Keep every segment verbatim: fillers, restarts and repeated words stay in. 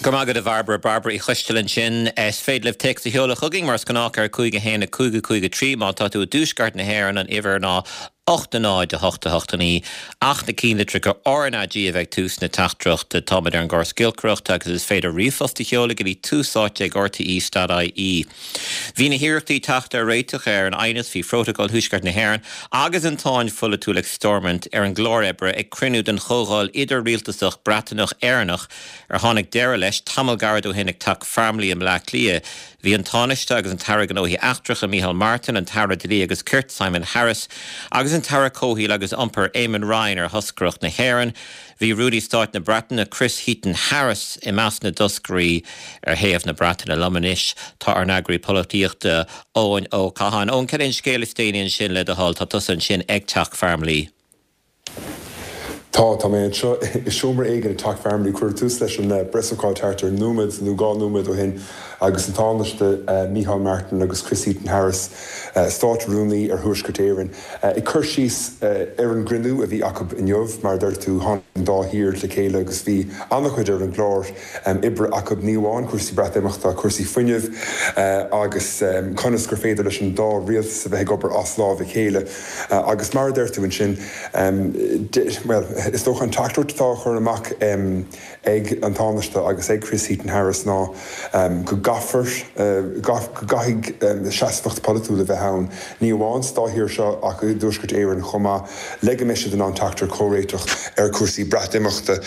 Go maith agat a Bhairbre Bairbre Uí Choisteala ansin is féidir libh téacs a sheoladh chugainn mar is gnách ar cúig a haon a cúig a cúig a trí má tá tú i dtuaisceart na hÉireann an uimhir ná ocht a náid a hocht a hocht a naoi ach na ceannlitreacha RnaG a bheith ag tús na teachtaireachta táimid ar an gcóras giolcaireachta agus is féidir ríomhphost a sheoladh go dtí tús áite ag RTÉ.ie. Bhí na hiarrachtaí teacht ar réiteach ar an aighneas faoi Phrótacal Thuaisceart na hÉireann agus an tsáinn pholaitiúil ag Stormont ar an gclár oibre ag cruinniú den Chomhdháil idir-rialtasach Breataineach Éireannach ar tháinig deireadh leis tamall gairid ó shin ag Teach Farmleigh i mBleá Cliath. Bhí an Tánaiste agus an tAire Gnóthaí Eachtracha Micheál Martin, an tAire Dlí agus Cirt Simon Harris, agus an tAire Comhshaoil agus Iompair Eamon Ryan ar thoscaireacht na hÉireann. Bhí Rúnaí Stáit na Breataine Chris Heaton Harris i measc na dtoscairí ar thaobh na Breataine liom anois tá ár n-eagraí polaitíochta Eoin Ó Catháin. Eoin cén scéal is déanaí ansin le do thoil tá tusa ansin ag Teach Farmleigh. Tá tá mé anseo i seomra éigin ag Teach Farmleigh cuireadh tús leis an bpreasócáid thart ar nóiméad nó dhá nóiméad ó shin agus an Tánaiste Micheál Martin agus Chris Heaton Harris Státrúnaí ar Thuaisceart Éireann ag cur síos ar an gcruinniú a bhí acu inniu mar deir tú an dá thír le chéile agus bhí an-chuid ar an gclár oibre acu ní amháin cúrsaí Breatimeachta cúrsaí fuinnimh agus conas gur féidir leis an dá rialtas a bheith ag obair as lámh a chéile agus mar deir tú ansin well is dócha an teachtaireacht atá á chur amach ag an Tánaiste agus ag Chris Heaton Harris ná go gcaithfear go gcaithfidh seasmhacht polaitiúil a bheith ann ní amháin sa dá thír seo ach i dTuaisceart Éireann chomh maith le go mbeidh siad in ann teacht ar chomhréiteach ar cúrsaí Breatimeachta.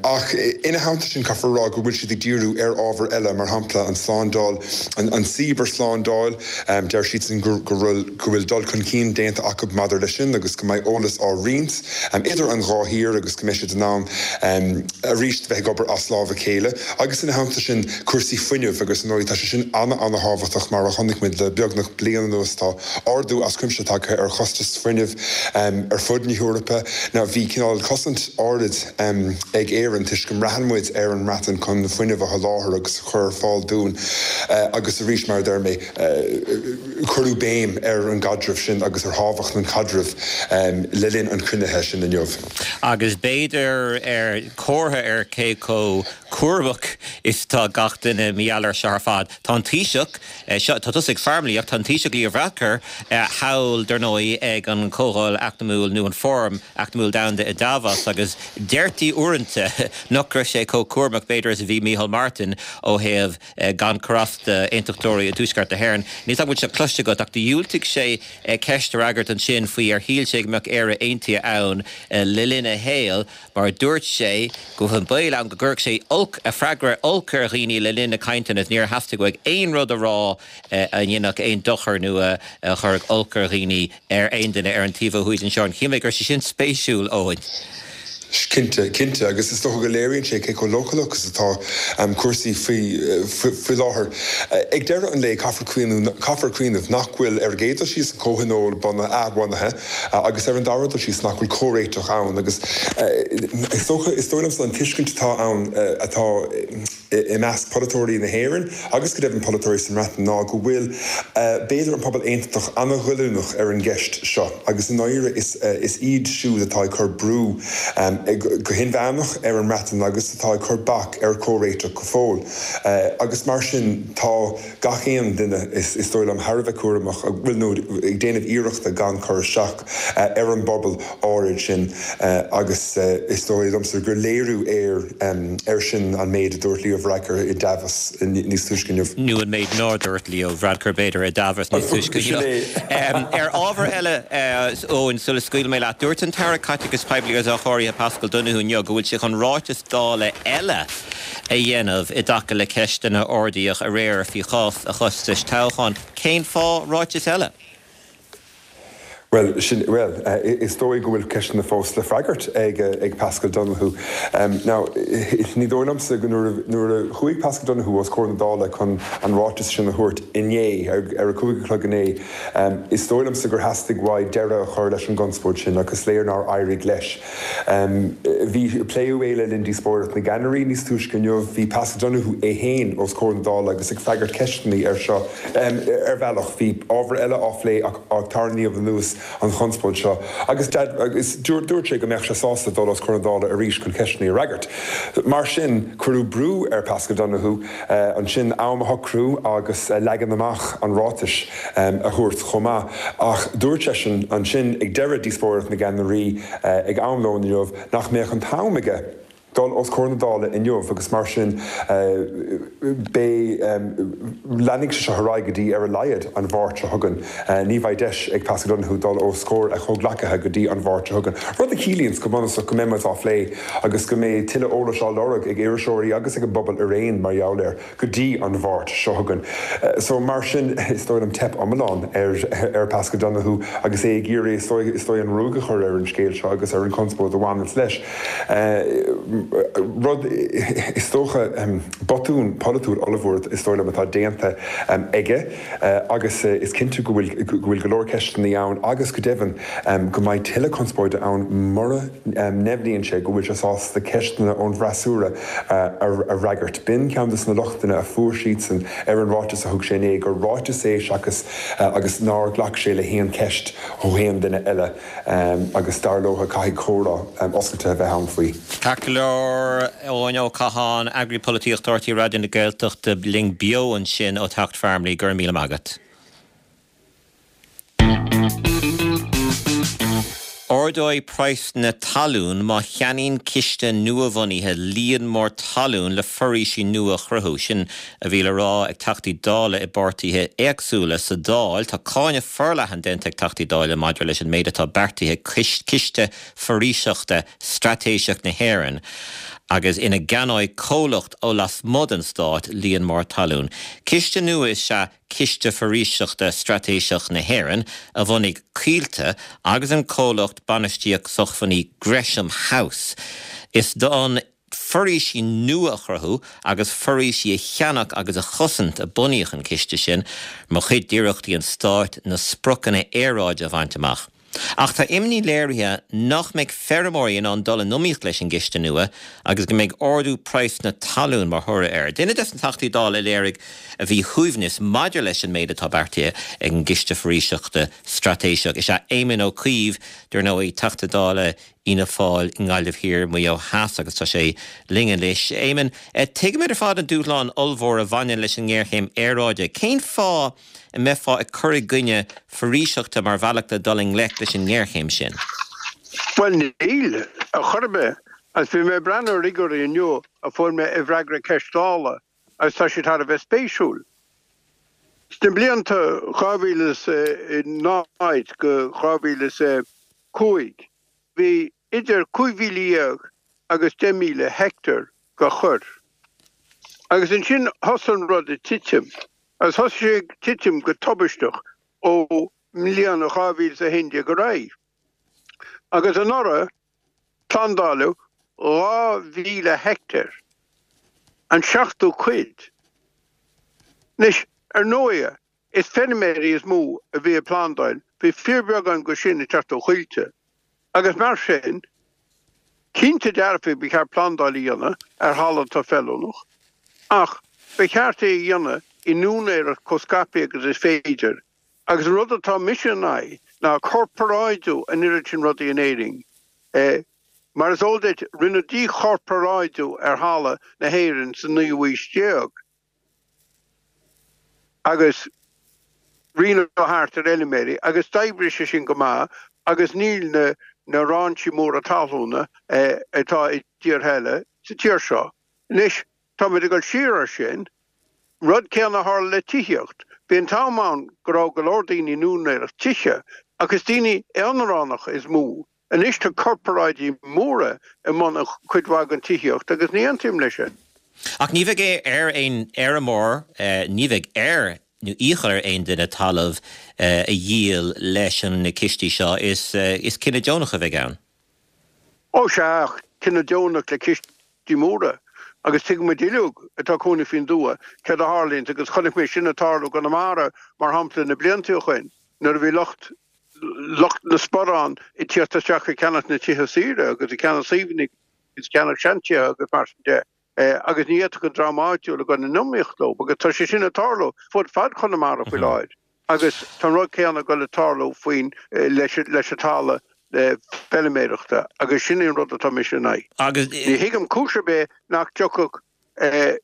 Ach ina theannta sin caithfear rá go bhfuil siad ag díriú ar ábhar eile mar shampla an slándáil an cibearshlándáil deir siad go bhfuil go bhfuil dul chun cinn déanta acu maidir leis sin agus go mbeidh eolas á roinnt idir an dhá thír agus go mbeidh siad in ann arís bheith ag obair as lámh a chéile agus ina theannta sin cúrsaí fuinnimh agus nó tá sé sin an-an-thábhachtach mar a chonaic muid le beagnach bliain anuas tá ardú as cuimse tagtha ar chostas fuinnimh ar fud na hEorpa ná bhí cineál cosaint áirid ag Éirinn toisc go mbraitheann muid ar an mBreatain chun fuinneamh a sholáthar agus chur ar fáil dúinn agus arís mar deir mé cuireadh béim ar an gcaidreamh sin agus ar thábhacht an chaidrimh le linn an chruinnithe sin inniu. Agus b'fhéidir ar comhartha ar cé chomh cúramach is tá gach duine maidir leis seo ar fad. Tá an Taoiseach seo tá tusa ag Farmleigh ach tá an Taoiseach Leo Varadkar thall dar ndóigh ag an Chomhdháil Eacnamaíoch nó an Fóram Eacnamaíoch Domhanda i Davos agus deirtí uaireanta nach raibh sé chomh cúramach b'fhéidir is a bhí Micheál Martin ó thaobh gan cur as d'aontachtóirí i dTuaisceart na hÉireann. Ní bhfuil sé cloiste agat ach dhiúltaigh sé ceist a fhreagairt ansin faoi ar shíl sé go mbeadh Éire aontaithe ann le linn a shaoil mar dúirt sé go bhfuil an baol ann go gcuirfeadh sé olc a freagra olc ar dhaoine le linn na cainteanna níor theastaigh uaidh aon rud a rá a dhéanfadh aon dochar nó a chuirfeadh olc ar dhaoine ar aon duine ar an taobh ó thuaidh anseo. Shíl mé go raibh sé sin spéisiúil Eoin. Cinnte cinnte agus is dócha go léiríonn sé cé chomh leochaileach is atá um, cúrsaí faoi faoi láthair. Ag deireadh an lae caithfear caithfear cuimhneamh nach bhfuil ar an gcéad dul síos an comhthionól bunaithe athbhunaithe agus ar an dara dul síos nach bhfuil comhréiteach ann agus is dócha is dóigh liomsa an tuiscint atá ann atá i measc polaiteoirí na hÉireann agus go deimhin polaiteoirí sa mBreatain ná go bhfuil b'fhéidir an pobal aontachtach an-ghoilliúnach ar an gceist seo agus i ndáiríre is is iad siúd atá ag cur brú um, go hinmheánach ar an mBreatain agus atá ag cur bac ar chomhréiteach go fóill. Uh, agus mar sin tá gach aon duine is, is dóigh liom thar a bheith cúramach bhfuil nó ag déanamh iarrachta gan cur isteach uh, ar an bpobal áirid sin uh, agus uh, is dóigh liomsa gur léiriú ar um, ar sin an méid a dúirt Leo Varadkar i Davos níos túisce inniu. Nó an méid nár dúirt Leo Varadkar b'fhéidir i Davos níos túisce Ar ábhar eile Eoin sula scaoil mé leat dúirt an tAire Caiteachais Poiblí agus Athchóirithe Paschal Donohoe inniu go bhfuil sé chun ráiteas Dála eile a dhéanamh i dtaca le ceisteanna a ardaíodh aréir faoi chás a chostais toghcháin. Cén fáth ráiteas eile? Well, sin, well uh, is dóigh go bhfuil ceisteanna fós le freagairt ag, ag Paschal Donohoe. Um, now, ní dóigh liomsa go nuair a chuaigh Paschal Donohoe os comhair na Dála chun an ráiteas sin a thabhairt inné ar, ar a cúig a chlog inné. Um, is dóigh liomsa gur theastaigh uaidh deireadh a chur leis an gconspóid sin agus léir nár éirigh leis. Um, bhí pléadh é le linn díospóireacht na gceannairí níos túisce inniu, bhí Paschal Donohoe é féin os comhair na Dála agus ag freagairt ceisteanna ar seo um, ar bhealach bhí ábhar eile á phlé ach tarraingíodh anuas an chonspóid seo agus agus dúirt sé go mbeadh sé sásta dul os comhair na Dála arís chun ceisteanna a fhreagairt. Mar sin cuireadh brú ar Paschal Donohoe uh, ansin am a shocrú agus uh, leagan amach an ráitis um, a thabhairt chomh maith ach dúirt seisean ansin ag deireadh díospóireacht na gceannairí uh, ag am lóin inniu nach mbeadh an t-am aige dul os comhair na Dála inniu agus mar sin leanfaidh sé seo ar aghaidh go dtí ar a laghad an Mháirt seo chugainn. Ní bheidh deis ag Paschal Donohoe dul os comhair a chomhghleacaithe go dtí an Mháirt seo chugainn. Rud a chiallaíonn go bunúsach go mbeidh á phlé agus go mbeidh tuilleadh eolais á lorg ag iriseoirí agus ag an bpobal araon mar gheall air go dtí an Mháirt seo chugainn. So mar sin is dóigh liom teip iomlán ar ar Paschal Donohoe agus é ag iarraidh is dóigh an ruaig a chur ar an scéal seo agus ar an chonspóid a bhaineann leis. Rud is dócha botún polaitiúil ollmhór is dóigh liom atá déanta aige agus is cinnte go bhfuil go bhfuil go leor ceisteanna ann agus go deimhin go mbeidh tuilleadh conspóide ann mura ndeimhníonn sé go bhfuil sé sásta ceisteanna ón bhfreasúra a fhreagairt. B'in ceann de na lochtanna a fuair siadsan ar an ráiteas a thug sé inné gur ráiteas é seachas agus nár ghlac sé le haon cheist ó haon duine eile agus dar leo caithfidh comhrá oscailte a bheith ann faoi. Ceart go leor Eoin Ó Catháin, Eagraí Polaitíochta R T Raidió na Gaeltachta linn beo ansin ó Tacht Farmleigh go raibh míle maith agat. Ardóidh praghas na talún má cheannaíonn ciste nuabhunaithe líon mór talún le foraoisí nua a chruthú. Sin a bhí le rá ag Teachtaí Dála i bpáirtithe éagsúla sa Dáil. Tá cáineadh forleathan déanta ag Teachtaí Dála maidir leis an méid atá beartaithe ag Ciste Foraoiseachta Straitéiseach na hÉireann agus ina gceannóidh comhlacht ó lasmuigh den stát líon mór talún. Ciste nua is ea Ciste Foraoiseachta Straitéiseach na hÉireann a bhunaigh Coillte agus an comhlacht bainistíocht sócmhainní Gresham House. Is d'fhonn foraoisí nua a chruthú agus foraoisí a cheannach agus a chosaint a bunaíodh an ciste sin mar chuid d'iarrachtaí an stáit na spriocanna aeráide a bhaint amach. Ach tá imní léirithe nach mbeidh feirmeoirí in ann dul in iomaíocht leis an gciste nua agus go mbeidh ardú praghas na talún mar thoradh air. Duine des na Teachtaí Dála a léirigh a mhíshuaimhneas maidir leis an méid atá beartaithe ag an gCiste Foraoiseachta Straitéiseach is ea Éamon Ó Cuív, dar ndóigh, Teachta Dála Fhianna Fáil i nGaillimh Thiar, Maigh Eo Theas agus tá sé linn anois. Éamon, tuigimid ar fad an dúshlán ollmhór a bhaineann leis an ngéarchéim aeráide. Cén fáth a mbeifeá ag cur i gcoinne foraoiseachta mar bhealach le dul i ngleic leis an ngéarchéim sin? Bhuel níl, ar chor ar bith. Agus bhí mé ag breathnú ar fhigiúirí inniu a fuair mé i bhfreagra ceist Dála agus tá siad thar a bheith spéisiúil. Sna blianta dhá mhíle is a náid go dhá mhíle is a cúig bhí idir cúig mhíle dhéag agus deich míle heicteár de chorr. Agus ansin thosaigh an rud ag titim. Agus thosaigh sé ag titim go tubaisteach ó mbliain dhá mhíle is a haon déag ar aghaidh. Agus anuraidh, plandáladh dhá mhíle heicteár, an seachtú cuid. Anois, ar ndóighe, is feirmeoirí is mó a bhí ag plandáil, bhí fíorbheagán de sin ag teacht ó Choillte. Agus mar sin, cinnte dearfa ba cheart plandáil a dhéanamh ar thalamh atá feiliúnach, ach ba cheart é a dhéanamh in úinéireacht chomh scaipthe agus is féidir. Agus an rud atá mise in aghaidh ná corparáidiú an oiread sin rudaí in Éirinn. Mar is eol duit, rinneadh díchorparáidiú ar thalamh na hÉireann sa naoú haois déag. Agus roinneadh thart ar fheilméaraí agus d'oibrigh sé sin go maith agus níl na na rainsí móra talúna atá i dtíortha eile sa tír seo. Anois táimid ag dul siar ar sin. Rud céanna a tharla le tithíocht. Bhí an t-am ann go raibh go leor daoine in úinéireacht tithe ach is daoine aonaránacha is mó. Anois tá corparáidí móra i mbun cuid mhaith den tithíocht agus ní aontaím leis sin. Ach ní bheidh ar aon fheirmeoir, ní bheidh air nó iachall ar aon duine talamh a dhíol leis na cistí seo. Is cinneadh deonach a bheidh ann. Ó sea, ach cinneadh deonach le cistí móra. Agus tuigeann muid uilig atá ag cónaí faoin dtuath céard a tharlaíonns agus chonaic mé sin ag tarlú i gConamara mar shampla na blianta ó shoin nuair a bhí lucht lucht na sporán ag tíocht isteach ag ceannach na tithe saoire agus ag ceannach suíomhanna agus ag ceannach seantithe agus mar sin de agus ní fhéadfadh an dream áitiúil a dhul in iomaíocht leo agus tá sé sin ag tarlú fud fad Chonamara faoi láthair. Agus tá an rud céanna ag dul ag tarlú faoin leis leis an talamh feilméarachta agus sin é an rud atá mise in aghaidh. Agus Ní thuigim cúis ar bith nach dtiocfadh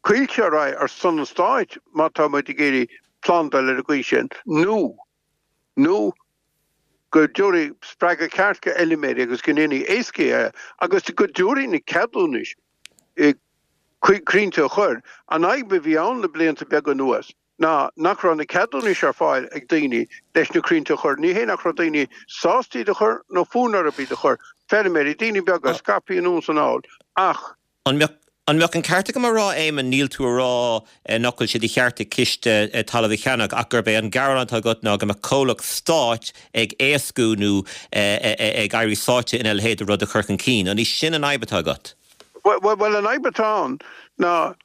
Coillte ar aghaidh ar son an stáit má tá muid ag iarraidh plandáil ar an gcaoi sin nó nó go dtabharfaí spreagadh ceart go fheilméaraí agus go ndéanfaí éascaí é agus go dtabharfaí na ceadúnais crainnte a chur. An fhadhb a bhí ann le blianta beaga anuas ná nach raibh na ceadúnais ar fáil ag daoine leis na crainnte a chur. Ní hé nach raibh daoine sásta iad a chur nó fonn orthu iad a chur, feilméaraí, daoine beaga, scaipthe anonn is anall, ach. An mbeadh An mbeadh an ceart agam a rá, Éamonn, níl tú a rá nach bhfuil sé de cheart ag ciste talamh a cheannach ach gurb é an gearán atá agat ná go mbeadh comhlacht stáit ag éascú nó ag éirí sáite ina leithéid de rud a chur chun cinn. An í sin an fhadhb atá agat? Bhuel, an fhadhb atá ann ná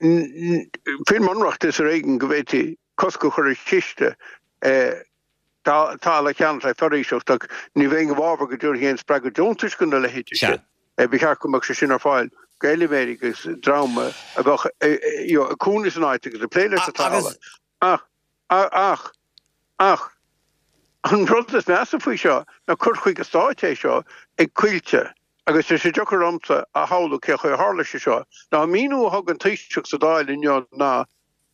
faoin mBunreacht is ar éigean go bhféadfaí cosc a chur ar chiste talamh a cheannach le foraoiseacht ach ní bheinn i bhfabhar go dtabharfaí aon spreagadh deontais do na leithéidí sin. Ba cheart go mbeadh sé sin ar fáil d'fheilméaraí agus dream a bheadh ag cónaí san áit agus ag plé leis an talamh. Ach, ach, ach, an rud is measa faoi seo ná cur chuige stáit é seo ag Coillte agus tá sé deacair ormsa a shamhlú cé chaoi a tharla sé seo. Ná an míniú a thug an Taoiseach sa Dáil inniu ná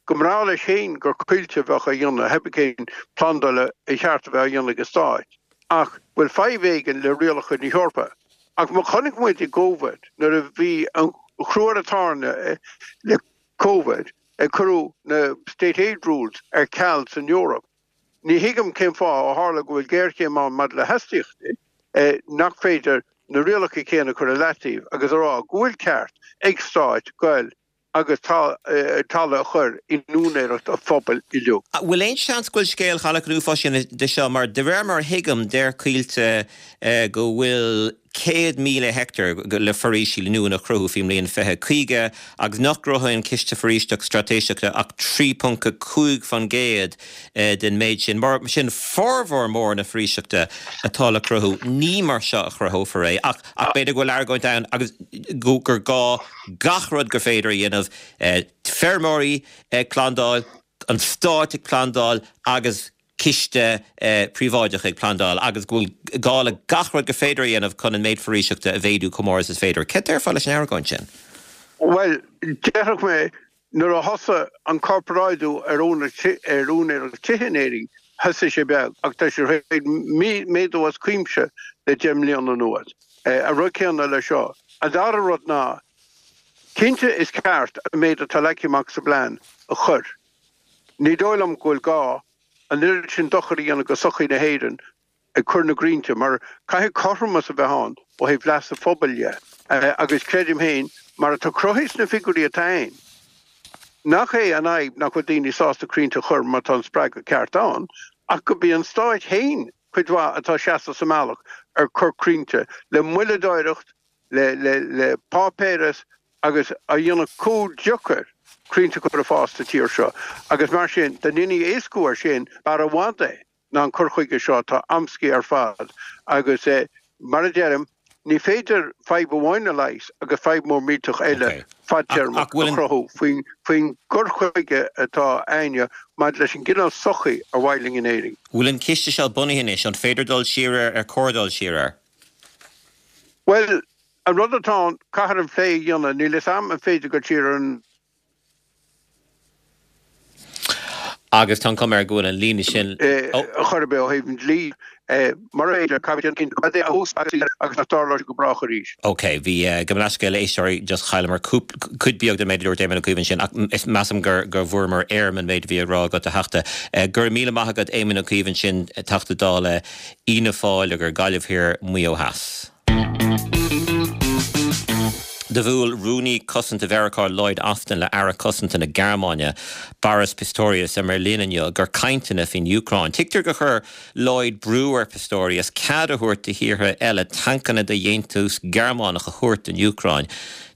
go mb'fhearr leis féin gur Coillte a bheadh á dhéanamh, pé cén plandáil a cheart a bheith á dhéanamh ag an Stát, ach bhfuil fadhb éigin le rialacha na hEorpa. Ach má chonaic muid i gCovid, nuair a bhí an crú ar an tairne le Covid, cuireadh na State Aid Rules ar ceal san Eoraip. Ní thuigim cén fáth, ó tharla go bhfuil géarchéim ann maidir le hastaíochtaí, nach féidir na rialacha céanna a chur i leataobh agus a rá go bhfuil ceart ag stáit goil agus talamh a chur in úinéireacht an phobail uilig. Bhfuil aon seans go bhfuil scéal Chaladh an Uafáis sin de seo mar de réir mar a thuigim deir Coillte go bhfuil céad míle heicteár le foraoisí nua le cruthú faoin mbliain fiche caoga agus nach gcruthaíonn Ciste Foraoiseachta Straitéiseachta ach trí ponc a cúig faoin gcéad den méid sin. Mar sin formhór mór na foraoiseachta atá le cruthú ní mar seo a chruthófar é ach ach b'fhéidir go bhfuil argóint ann agus gur gá gach rud gur féidir a dhéanamh, feirmeoirí ag plandáil, an stát ag plandáil agus ciste príobháideach ag plandáil agus go bhfuil gá le gach rud gur féidir a dhéanamh chun an méid foraoiseachta a mhéadú chomh mór is is féidir. Céard a déarfá leis an argóint sin? Bhuel, déarfadh mé Nuair a thosaigh an corparáidiú ar úinéireacht tithe in Éirinn, thosaigh sé beag ach tá sé tar éis méadú as cuimse le deich mbliana anuas. An rud céanna leis seo. An dara rud ná, cinnte is ceart an méid atá leagtha amach sa bplean a chur. Ní dóigh liom go bhfuil gá an oiread sin dochair a dhéanamh go sochaí na hÉireann ag cur na gcrainnte mar caithfidh cothromas a bheith ann ó thaobh leas an phobail dhe agus creidim féin, mar atá cruthaithe sna figiúirí atá ann, nach é an fhadhb nach bhfuil daoine sásta crainnte a chur má tá an spreagadh ceart ann ach go b'í an stáit féin cuid mhaith atá ag seasamh sa mbealach ar cur crainnte le moilleadóireacht, le le le páipéaras agus á dhéanamh chomh deacair crainnte a chur ag fás sa tír seo agus mar sin dá ndéanfaí éascú air sin b'fhearr i bhfad é. ná an cur chuige seo atá amscaí ar fad agus mar a deirim, ní féidir fadhb amháin a leigheas agus fadhb mór millteach eile fadtéarmach a chruthú faoin gcur chuige atá a'inne maidir leis an gcineál sochaí ar mhaith linn in Éirinn. Bhfuil an ciste seo bunaithe anois? An féidir dul siar air? Ar chóir dul siar air? Bhuel, an rud atá ann, caithfear an plé a dhéanamh. Níl fhios a'm an féidir dul siar ar an. Agus tá an chuma air go bhfuil an líne sin. Ar chor ar bith ó thaobh an dlí, mura féidir, caithfidh an cinnte cad é a úsáidfear agus nach dtarlóidh sé go brách arís. OK, bhí, gabh mo leithscéal a éisteoirí, just chailleamar cúpla, cuid beag den méid a dúirt Éamon Ó Cuív ansin ach is, measaim gur, gur bhfuaireamar éirim an méid a bhí á rá agat, a Theachta. Go raibh míle maith agat Éamon Ó Cuív ansin, Teachta Dála Fhianna Fáil ar Ghaillimh Thiar, Maigh Eo Theas. Do bhuail Rúnaí Cosanta Mheiriceá Lloyd Austin le Aire Cosanta na Gearmáine Boris Pistorius i mBeirlín inniu do chainteanna faoin Úcráin. Tuigtear gur chuir Lloyd brú ar Pistorius cead a thabhairt do thíortha eile tancanna de dhéantús Gearmánach a thabhairt don Úcráin.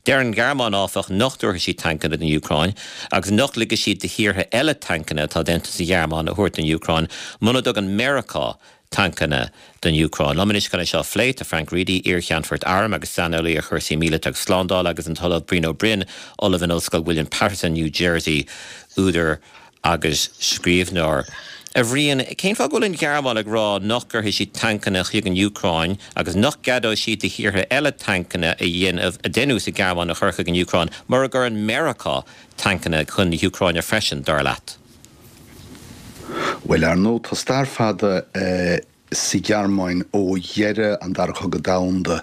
Deir an Ghearmáin, áfach, nach dtabharfaidh siad tancanna don Úcráin agus nach ligfidh siad do thíortha eile tancanna atá déanta sa Ghearmáin a thabhairt don Úcráin muna dtugann Meiriceá tancanna don Úcráin. Liom anois chun é seo a phlé tá Frank Reidy, iar-cheannfort airm agus saineolaí ar chúrsaí míleata agus slándála agus an tOllamh Brian Ó Broin, Ollamh in Ollscoil William Paterson, New Jersey, údar agus scríbhneoir. A Bhriain, cén fáth go bhfuil an Ghearmáin ag rá nach gcuirfidh siad tancanna chuig an Úcráin agus nach gceadóidh siad do thíortha eile tancanna a dhéanamh a déanadh sa Ghearmáin a chur chuig an Úcráin mura gcuireann Meiriceá tancanna chun na hÚcráine freisin dar leat? Well ar ndóigh tá stair fada eh, sa Ghearmáin ó dheireadh an Dara Cogadh Domhanda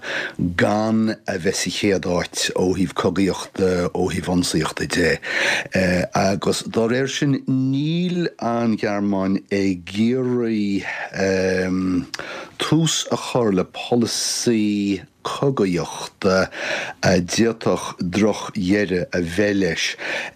gan a bheith sa chéad áit ó thaobh cogaíochta ó thaobh ionsaíochta de. Eh, agus dá réir sin níl an Ghearmáin ag iarraidh um, tús a chur le polasaí cogaíochta a d'fhéadfadh drochdheireadh a bheith leis.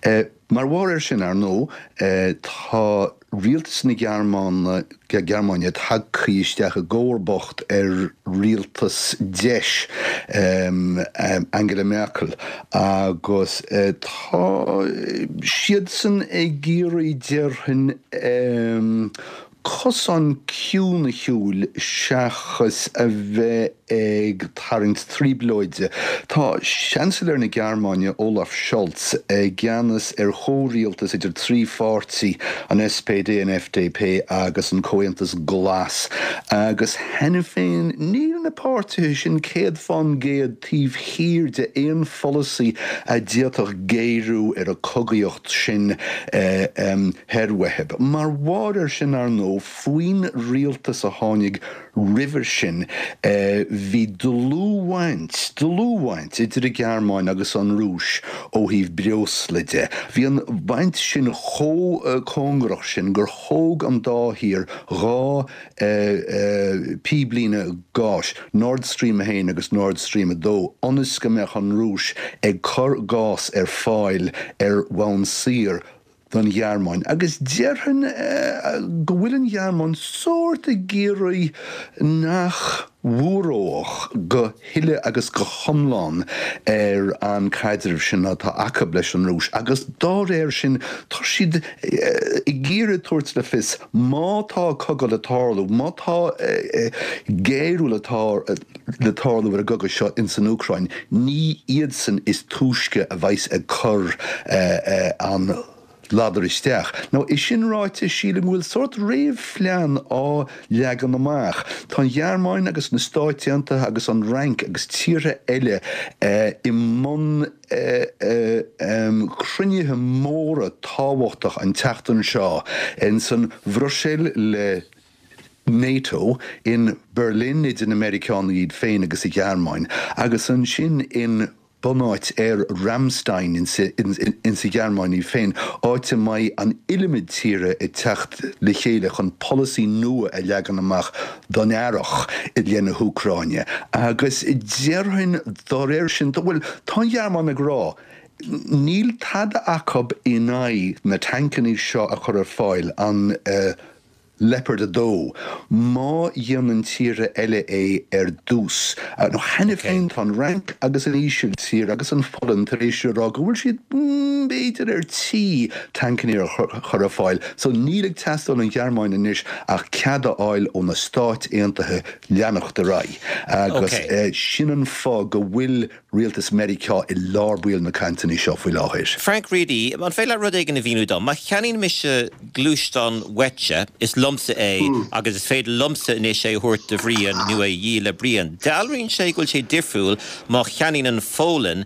Eh, mar bharr air sin ar ndóigh eh, tá rialtas na Gearmáine Gearmáine tagtha isteach i gcomharbacht ar rialtas deis um, um, Angela Merkel agus uh, tá siadsan ag iarraidh déarfainn um, cosán ciúin a shiúl seachas a bheith ag tarraingt trioblóide. Tá Seansailéir na Gearmáine Olaf Scholz i gceannas ar chomhrialtas idir trí pháirtí an SPD an FDP agus an Comhaontas Glas. agus cheana féin níl na páirtithe sin céad faoin gcéad taobh thiar de aon pholasaí a d'fhéadfadh géarú ar an chogaíocht sin eh, um, Herweheb. Mar bharr air sin ar ndóigh faoin rialtas a tháinig roimhe sin eh, bhí dlúthbhaint dlúthbhaint idir an Ghearmáin agus an Rúis ó thaobh breosla de. Bhí an bhaint sin chomh uh, cóngarach sin gur thóg an dá thír dhá uh, uh, píblíne gáis Nord Stream a haon agus Nord Stream a dó, ionas go mbeadh an Rúis ag cur gás ar fáil ar bhonn saor don Ghearmáin. Agus déarfainn uh, go bhfuil an Ghearmáin sórt ag iarraidh nach bhfuaródh go huile agus go hiomlán ar an caidreamh sin atá acu leis an Rúis. Agus dá réir sin tá siad ag iarraidh tabhairt le fios má tá cogadh le tarlú, má tá géarú le le tarlú ar an gcogadh seo in san Úcráin, ní iadsan is túisce a bheas ag cur an ladar isteach. Nó é sin ráite sílim go bhfuil sórt réamhphlean á leagan amach. Tá an Ghearmáin agus na Stáit Aontaithe agus an Fhrainc agus tíortha eile eh, i mbun eh, eh, um, cruinnithe móra tábhachtach an tseachtain seo in san Bhruiséil le NATO in Berlin idir na Meiriceánaigh iad féin agus an Ghearmáin, agus ansin in bunáit aeir Ramstein in sa Ghearmáin í féin, áit a mbeidh an iliomad tíre ag teacht le chéile chun polasaí nua a leagan amach don earrach i leith na hÚcráine. Agus déarfainn dá réir sin bhfuil tá an Ghearmáin ag rá. Níl tada acu in aghaidh na tancanna seo a chur ar fáil an uh, Leopard a dó, má dhéanann tíortha eile é ar dtús. Nó cheana féin tá an Fhrainc agus an Ísiltír agus an Pholainn tar éis rá go bhfuil siad mm, b'fhéidir ar tí tancanna a chur ar fáil, so níl ag teastáil ón Ghearmáin anois ach cead a fháil ó na Stáit Aontaithe leanacht ar aghaidh. Agus okay. uh, sin an fáth go bhfuil rialtas Meiriceá i lár baill na cainteanna seo faoi láthair. Frank Reidy, an féidir leat rud éigin a mhíniú dom, má cheannaíonn mise gluaisteán uaitse is liomsa é mm. agus is féidir liomsa anois é a thabhairt do Bhrian nó é a dhíol le Brian. Dealraíonn sé go bhfuil sé difriúil má cheannaíonn an Pholainn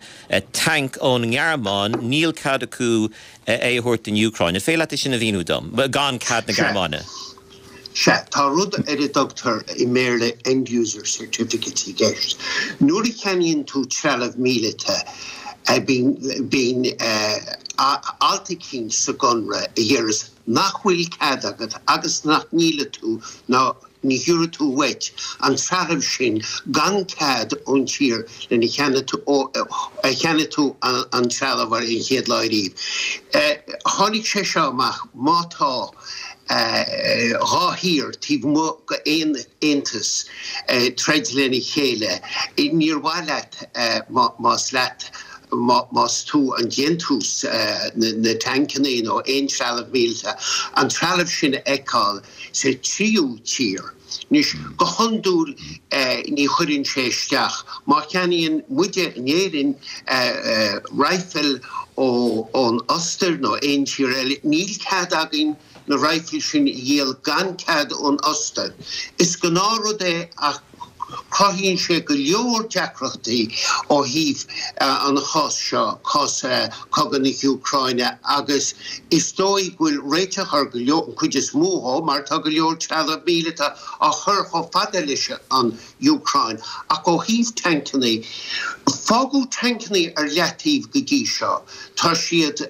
tanc ón nGearmáin níl cead acu é a thabhairt don Úcráin. An féidir leat sin a mhíniú dom, gan cead na Gearmáine. Sea tá rud ar a dtugtar i mBéarla end-user certificate i gceist. Nuair a cheannaíonn tú trealamh míleata bíonn alt eicínt sa gconradh a deireas nach bhfuil cead agat agus nach ndíolfaidh tú ná ní thabharfaidh tú uait an trealamh sin gan cead ón tír lena cheannaigh tú an trealamh ar an chéad lá riamh. Tháinig sé seo amach má tá dhá thír taobh amuigh d'aon aontas troid lena chéile, níor mhaith leat más leat más tú an déantús na tancanna nó aon trealamh míleata, an trealamh sin a fheiceáil sa tríú tír. Anois, go hiondúil ní chuireann sé isteach. Má cheannaíonn muide in Éirinn raidhfil ón Ostair nó aon tír eile, níl cead againn na raidhfil sin a dhíol gan cead ón Ostair. Is gnáthrud é ach cruthaíonn sé go leor deacrachtaí ó thaobh an chás seo, cás cogadh na hÚcráine, agus is dóigh go bhfuil réiteach ar go leor, an chuid is mó dhó, mar tá go leor trealamh míleata á chur chomh fada leis an Úcráin. Ach ó thaobh tancanna, fágadh tancanna ar leataobh go dtí seo. Tá siad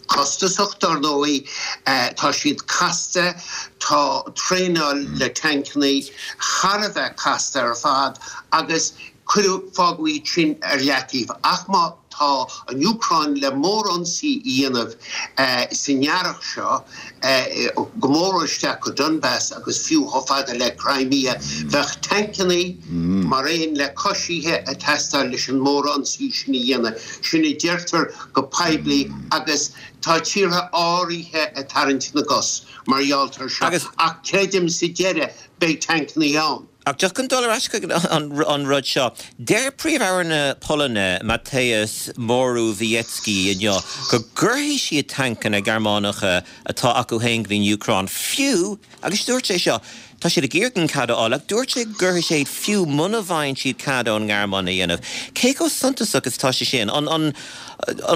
costasach, dar ndóigh, tá siad casta, tá traenáil le tancanna thar a bheith casta ar fad agus cuireadh, fágadh iad sin ar leataobh. Ach má tá an Úcráin le mórionsaí a dhéanamh san earrach seo, go mór isteach go Donbas agus fiú chomh fada le Crimea, bheadh tancanna mar aon le coisithe ag teastáil leis an mórionsaí sin a dhéanamh. Sin a deirtear go poiblí agus tá tíortha áirithe ag tarraingt na gcos mar gheall air seo ach creidim sa deireadh beidh tancanna ann. Ach just chun dul ar ais chuig an rud seo, deir Príomh-Aire na Polainne, Mateusz Morawiecki inniu go gcuirfidh siad tancanna Gearmánacha atá acu féin go dtí an Úcráin fiú, agus dúirt sé seo, tá siad ag iarraidh an cead a fháil, ach dúirt sé go gcuirfidh sé iad fiú muna bhfaigheann siad cead ón nGearmáin a dhéanamh. Cé chomh suntasach is atá sé sin? An, an,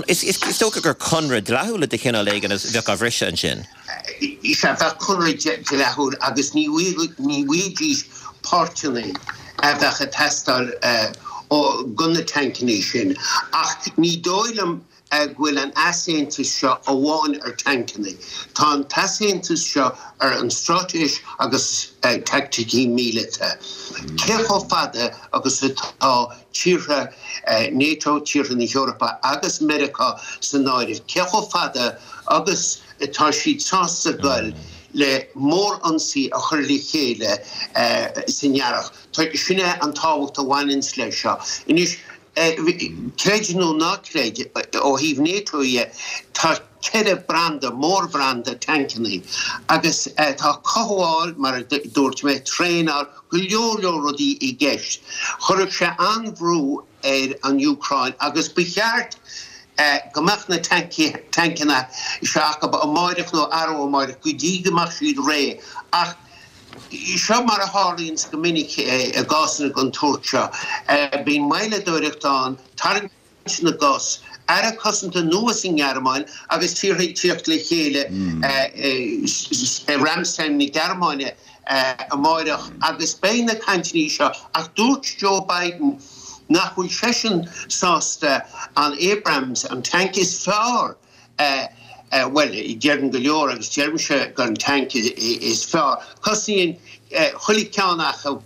is, is dócha gur conradh dleathúil de chineál éigin a bheadh á bhriseadh ansin. Sea, bheadh conradh dleathúil agus ní bhfaighidís páirteanna a bheadh ag teastáil do na tancanna sin. Ach ní dóigh liom go bhfuil an easaontas seo amháin ar tancanna. Tá an t-easaontas seo ar an straitéis agus teaicticí míleata. Cé chomh fada agus atá tíortha NATO, tíortha na hEorpa agus Meiriceá san áireamh, cé chomh fada agus atá siad sásta goil le mórionsaí a chur le chéile san earrach. Sin é an tábhacht a bhaineanns leis seo. Anois, creid nó ná creid, ó thaobh NATO dhe, tá ceithre branda, mórbhranda tancanna agus tá cothabháil, mar a dúirt mé, traenáil, go leor leor rudaí i gceist. Chuirfeadh sé an-bhrú ar an Úcráin agus ba cheart go mbeadh na tancanna seo acu amáireach nó arú amáireach go dtí go mbeadh siad réidh. Ach seo mar a tharlaíonns go minic i gcásanna den tsórt seo, bíonn moilleadóireacht ann, tarraingt na gcos, aire cosanta nua sa nGearmáin agus tíortha ag tíocht le chéile i Ramstein na Gearmáine amáireach agus beidh na cainteanna seo ach dúirt Joe Biden nach bhfuil seisean sásta an Abrams, an tanc is fearr, bhuel, deireann go leor agus deirimse gur an tanc is fearr. Cosnaíonn chuile cheann acu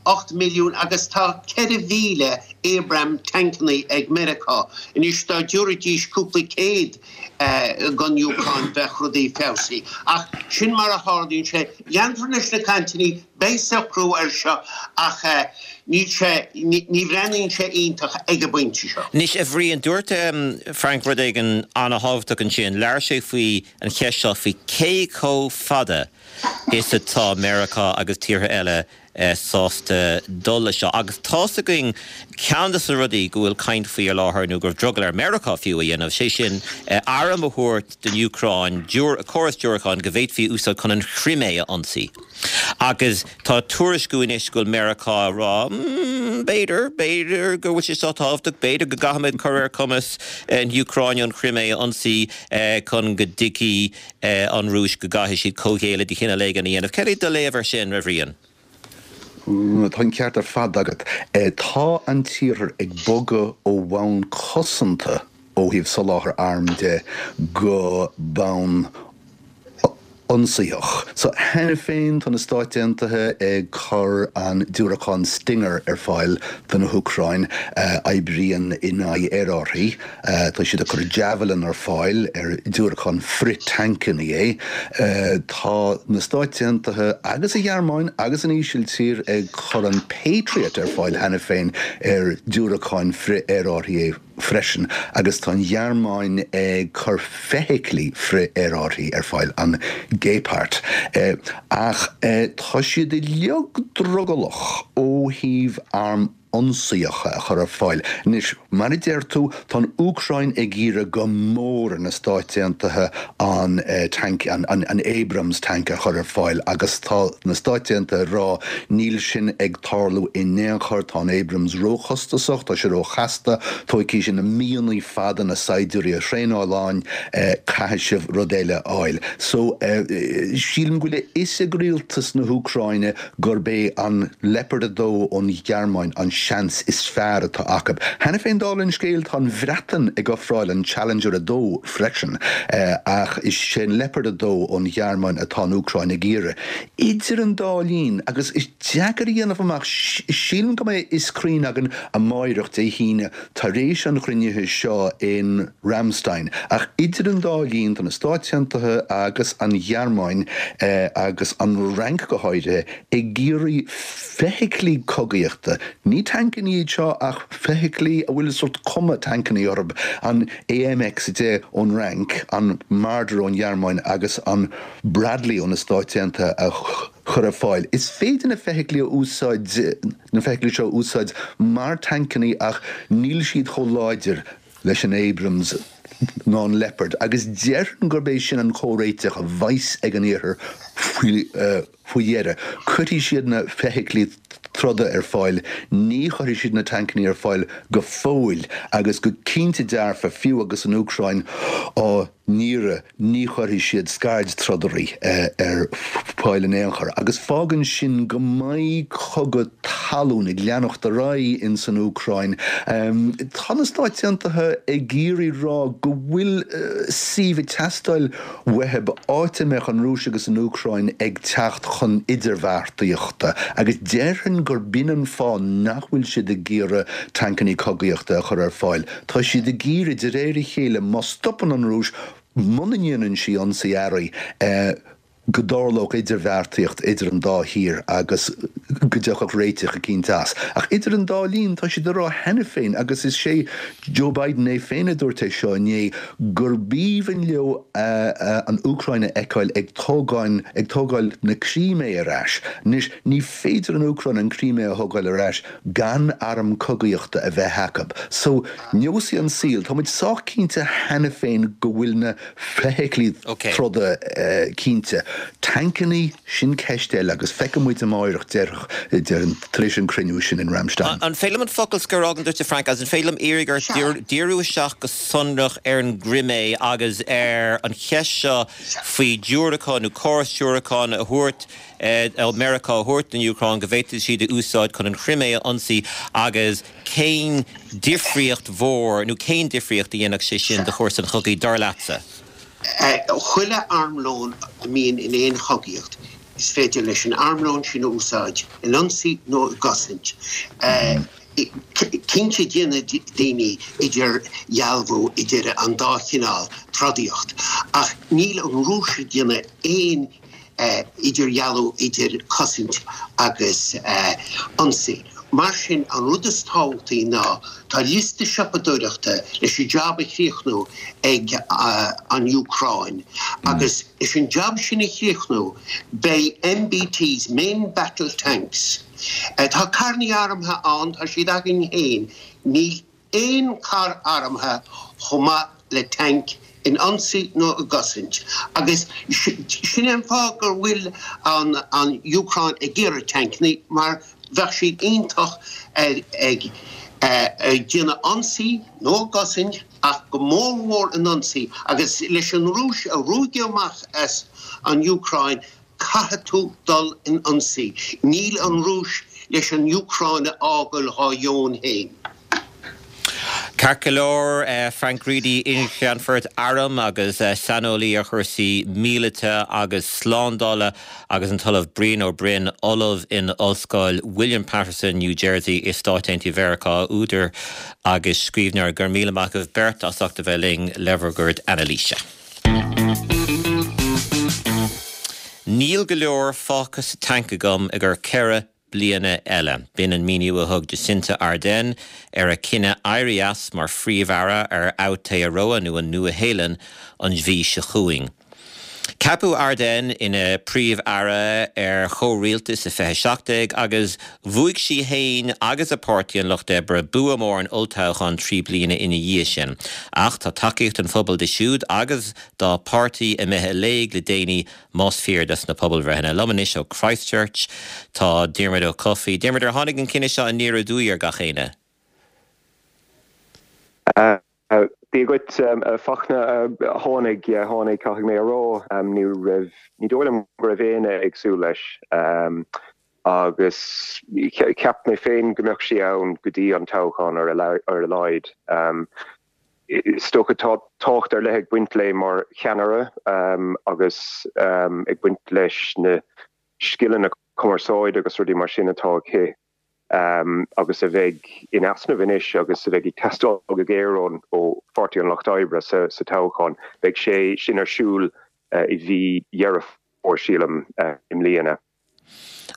ocht milliún agus tá ceithre mhíle Abram tancanna ag Meiriceá. Anois dá dtabharfaidís cúpla céad don Úcráin bheadh rudaí feabhsaithe. Ach sin mar a tharlaíonn sé. Leanfar leis na cainteanna, beidh socrú air seo ach níl sé, ní bhreathnaíonn sé iontach ag an bpointe seo. Anois, a Bhriain, dúirt Frank rud éigin an-thábhachtach ansin. Labhair sé faoi an cheist seo faoi cé chomh fada is atá Meiriceá agus tíortha eile sásta dul leis seo. Agus tá's againn ceann de na rudaí go bhfuil caint faoi ar láthair, nó go raibh drogall ar Meiriceá fiú a dhéanamh, sé sin arm a thabhairt don Úcráin, córas diúracáin go bhféadfaí a úsáid chun an Chrimé a ionsaí. Agus tá tuairisciú anois go bhfuil Meiriceá ag rá, mm, b'fhéidir, b'fhéidir go bhfuil sé seo tábhachtach, b'fhéidir go gcaithfimid cur ar chumas na hÚcráine an Chrimé a ionsaí chun go dtuigfidh an Rúis go gcaithfidh siad comhghéilleadh de chineál éigin a dhéanamh. Cad é do léamh air sin, a Bhriain? Tá an ceart ar fad agat. Tá an tIarthar ag bogadh ó bhonn cosanta ó thaobh soláthar arm de go bonn ionsaitheach. So cheana féin tá na Stáit Aontaithe ag cur an diúracán Stinger ar fáil do na hÚcráin, a oibríonn in aghaidh aerárthaí. Tá siad ag cur Javelin ar fáil, ar diúracán frith-tancanna é. Tá na Stáit Aontaithe agus an Ghearmáin agus an Ísiltír ag cur an Patriot ar fáil cheana féin, ar diúracán frith-aerárthaí é. freisin agus tá an Ghearmáin ag cur feithiclí frith-aerárthaí ar fáil, an Gepard. Ach tá siad uilig drogallach ó thaobh airm ionsaíocha a chur ar fáil. Anois, mar a deir tú, tá an Úcráin ag iarraidh go mór ar na Stáit Aontaithe an tanc, an an Abrams tank a chur ar fáil agus tá na Stáit Aontaithe ag rá níl sin ag tarlú in aon chor, tá an Abrams róchostasach, tá sé róchasta, tógfaidh sé na míonna fada na saighdiúirí a thraenáil ann, caithfidh sibh rud eile a fháil. So, sílim go bhfuil a fhios ag rialtas na hÚcráine gurb é an Leopard a dó ón Ghearmáin an seans is fearr atá acu. Cheana féin, dála an scéil, tá an Bhreatain ag ofráil an Challenger a dó freisin, ach is é an Leopard a dó ón Ghearmáin atá an Úcráin ag iarraidh. Idir an dá linn, agus is deacair a dhéanamh amach, sílim go mbeidh a fhios cruinn againn amáireach, Dé hAoine, tar éis an chruinnithe seo in Ramstein, ach idir an dá linn, tá na Stáit Aontaithe agus an Ghearmáin, agus an Fhrainc go háirithe, ag iarraidh feithiclí cogaíochta, ní tancanna iad seo ach feithiclí a bhfuil sórt cuma tancanna orthu, an A M X a deich ón Fhrainc, an Marder ón Ghearmáin agus an Bradley ó na Stáit Aontaithe a chur ar fáil. Is féidir na feithiclí a úsáid, na feithiclí seo a úsáid mar tancanna ach níl siad chomh láidir leis an Abrams ná an Leopard agus déarfainn gurb é sin an comhréiteach a bheas ag an Iarthar faoi faoi dheireadh. Cuirfidh siad na feithiclí troda ar fáil, ní chuirfidh siad na tancanna ar fáil go fóill agus go cinnte dearfa, fiú agus an Úcráin á n-iarraidh, ní chuirfidh siad scaird-trodairí ar fáil in aon chor. Agus fágann sin go mbeidh cogadh talún ag leanacht ar aghaidh ins an Úcráin. Tá na Stáit Aontaithe ag iarraidh rá go bhfuil suíomh ag teastáil uathu, áit a mbeadh an Rúis agus an Úcráin ag teacht chun idirbheartaíochta, agus déarfainn gur b'in an fáth nach bhfuil siad ag iarraidh tancanna cogaíochta a chur ar fáil. Tá siad ag iarraidh, de réir a chéile, má stopann an Rúis, muna ndéanann sí ionsaí earraigh, go dtarlódh idirbheartaíocht idir an dá thír agus go dtiocfadh réiteach eicínt as. Ach idir an dá linn, tá siad ag rá cheana féin, agus is é Joe Biden é féin a dúirt é seo inné, gurb aoibhinn leo an Úcráin a fheiceáil ag tógáin, ag tógáil na Crímé ar ais. Anois, ní féidir an Úcráin an Crímé a thógáil ar ais gan arm cogaíochta a bheith acu. So, neosfaidh an saol, tá muid sách cinnte cheana féin go bhfuil na feithiclí troda cinnte. Tancannaí, sin ceist eile agus feicfidh muid amáireach, déarfainn, tar éis an cruinniú sin in Ramstein. An féidir liom an focal scoir a fhágaint duit, a Frank, agus an féidir liom iarraidh ort díriú isteach go sonrach ar an gCrimé agus ar an cheist seo faoi diúracáin nó córas diúracán a thabhairt ó Meiriceá a thabhairt don Úcráin go bhféadfaidh siad a úsáid chun an Chrimé a ionsaí agus cén difríocht mhór nó cén difríocht a dhéanfadh sé sin do chúrsa an chogaidh, dar leatsa? Chuile armlón a mbíonn in aon chogaíocht, is féidir leis an armlón sin a úsáid in ionsaí nó i gcosaint. Cinnte déanann daoine idirdhealú idir an dá chineál trodaíocht, ach níl an Rúis ag déanamh aon idirdhealú idir cosaint agus ionsaí. Mar sin, an rud is tábhachtaí ná tá liosta siopadóireachta leis an jab a chríochnú ag an Úcráin agus leis an jab sin a chríochnú beidh M B Ts, Main Battle Tanks, tá carrannaí armtha ann, tá siad againn féin, níl aon charr armtha chomh maith le tanc in ionsaí nó i gcosaint agus sin é an fáth go bhfuil an an Úcráin ag iarraidh tancannaí mar bheadh siad iontach ag ag déanamh ionsaí nó i gcosaint ach go mór mhór in ionsaí agus leis an Rúis a ruaigeadh amach as an Úcráin caithfidh tú dul in ionsaí. Níl an Rúis leis an Úcráin a fhágáil dhá dheoin féin. Ceart go leor, Frank Reidy, iarCheannfort airm agus saineolaí ar chúrsaí míleata agus slándála agus an tOllamh Brian Ó Broin, Ollamh in Ollscoil William Paterson, New Jersey i Stáit Aontaithe Mheiriceá, údar agus scríbhneoir. Go raibh míle maith agaibh beirt as ucht a bheith linn le bhur gcuid anailíse. Níl go leor fágtha sa tanc agam i gcomhair ceithre bliana eile. B'in an míniú a thug Jacinda Ardern ar a cinneadh éirí as mar phríomh-aire ar Aotearoa nó an Nua-Shéalainn an mhí seo chugainn. Ceapadh Ardern ina príomh-aire ar chomhrialtas i fiche seacht déag agus bhuaigh sí féin agus a páirtí an Lucht Oibre bua mór in olltoghchán trí bliana ina dhiaidh sin. Ach tá tacaíocht an phobail di siúd agus dá páirtí imithe i léig le déanaí más fíor dos na pobalbhreitheanna. Liom anois ó Christchurch tá Diarmuid Ó Cofaigh. Diarmuid ar tháinig an cinneadh seo aniar aduaidh ar gach éinne. Dia dhuit a Fachtna tháinig tháinig caithfidh mé a rá ní raibh ní dóigh liom go raibh éinne ag súil leis agus cheap mé féin go mbeadh sí ann go dtí an toghchán ar ar a laghad. Is dócha tá tábhacht ar leith ag baint léi mar cheannaire agus ag baint leis na scileanna cumarsáide agus rudaí mar sin atá aici. agus a bheidh in easnamh anois agus a bheidh ag teastáil go géar ón ó Pháirtí an Lucht Oibre sa sa toghchán. Beidh sé sin ar siúl i mhí Dheireadh Fómhair sílim i mbliana.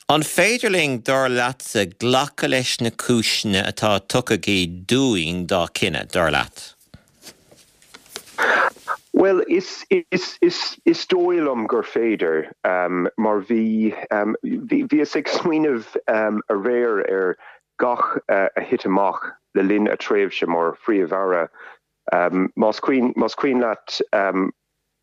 An féidir linn dar leatsa glacadh leis na cúiseanna atá tugtha aici dúinn dá cinneadh, dar leat? Bhuel, is, is, is, is dóigh liom gur féidir, um, mar bhí, um, bhí, bhíos ag smaoineamh um, aréir ar gach uh, a thit amach le linn a tréimhse mar phríomh-aire. Um, más cuimhin, más cuimhin leat um,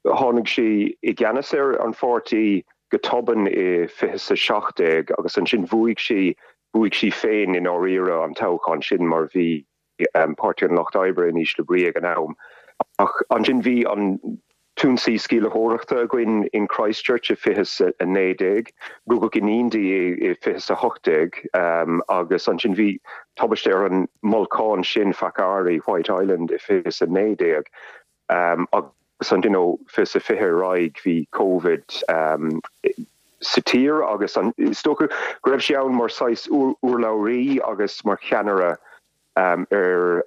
tháinig sí i gceannas ar an pháirtí go tobann i fiche is a seacht déag agus ansin bhuaigh sí bhuaigh sí féin i ndáiríre an toghchán sin mar bhí Páirtí an Lucht Oibre in ísle brí ag an am. Ach ansin bhí an t-ionsaí sceimhlitheoireachta againn in Christchurch i fiche is a naoi déag, rugadh iníon di i fiche is a hocht déag agus ansin bhí tubaiste ar an mbolcán sin Whakaari, White Island, i fiche is a naoi déag agus ansin ó fiche is a fiche ar aghaidh bhí Covid sa tír agus is dócha go raibh sí ann mar saghas urlabhraí agus mar cheannaire ar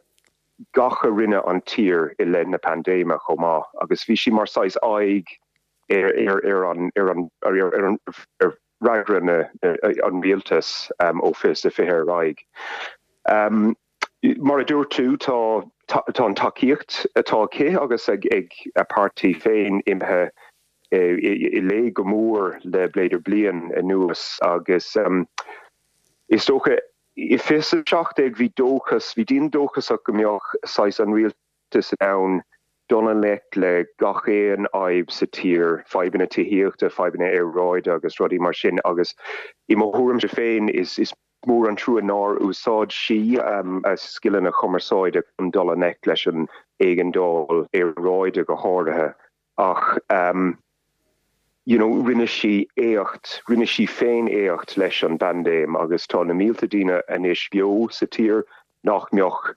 gach a rinne an tír i leith na paindéime chomh maith agus bhí sí mar saghas aghaidh ar ar ar an ar an ar ar an ar fhreagra na an rialtas ó fiche is a fiche ar aghaidh. Mar a dúirt tú tá tá an tacaíocht atá aici agus ag ag a páirtí féin imithe i léig go mór le b'fhéidir bliain anuas agus is dócha I fiche is a seacht déag bhí dóchas, bhí daoine dóchasach go mbeadh saghas an rialtas in ann dul i ngleic le gach aon fhadhb sa tír, fadhbanna tithíochta, fadhbanna aeráide agus rudaí mar sin agus i mo thuairimse féin is is mór an trua nár úsáid sí a scileanna cumarsáide chun dul i ngleic leis an éigeandáil aeráide go háirithe ach you know rinne sí éacht, rinne sí féin éacht leis an bpaindéim agus tá na mílte daoine anois beo sa tír nach mbeadh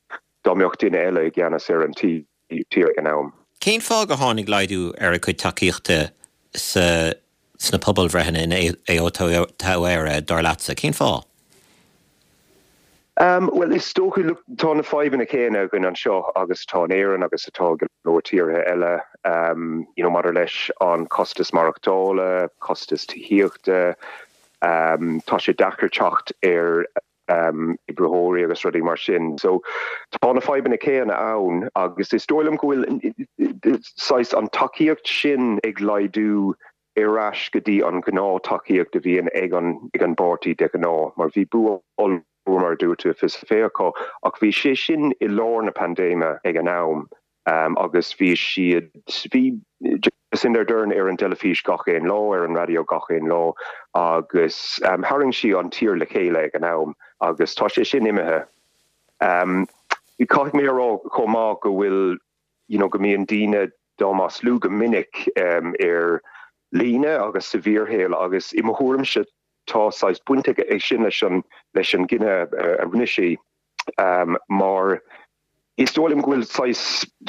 dá mbeadh duine eile i gceannas ar an tír ag an am. Cén fáth gur tháinig laghdú ar a cuid tacaíochta sa sna pobalbhreitheanna in Aotearoa, dar leatsa? Cén fáth? Bhuel, is dócha, look, tá na fadhbanna céanna againn anseo agus atá in Éirinn agus atá go leor tíortha eile, you know, maidir leis an costas maireachtála, costas tithíochta, tá sé deacair teacht ar oibritheoirí agus rudaí mar sin. So tá na fadhbanna céanna ann agus is dóigh liom go bhfuil saghas an tacaíocht sin ag laghdú ar ais go dtí an ghnáth-tacaíocht a bhíonn ag an ag an bpáirtí de ghnáth, mar bhí bua ollmhór mar a dúirt tú i fiche fiche acu, ach bhí sé sin i lár na paindéime ag an am agus bhí siad, bhí Jacinda Ardern ar an dteilifís gach aon lá, ar an raidió gach aon lá agus tharraing sí an tír le chéile ag an am agus tá sé sin imithe. Caithfidh mé a rá chomh maith go bhfuil you know go mbíonn daoine dá maslú go minic ar líne agus sa bhfíorshaol agus i mo thuairimse tá saghas baint aige sin leis an leis an gcinneadh a rinne sí mar is dóigh liom go bhfuil saghas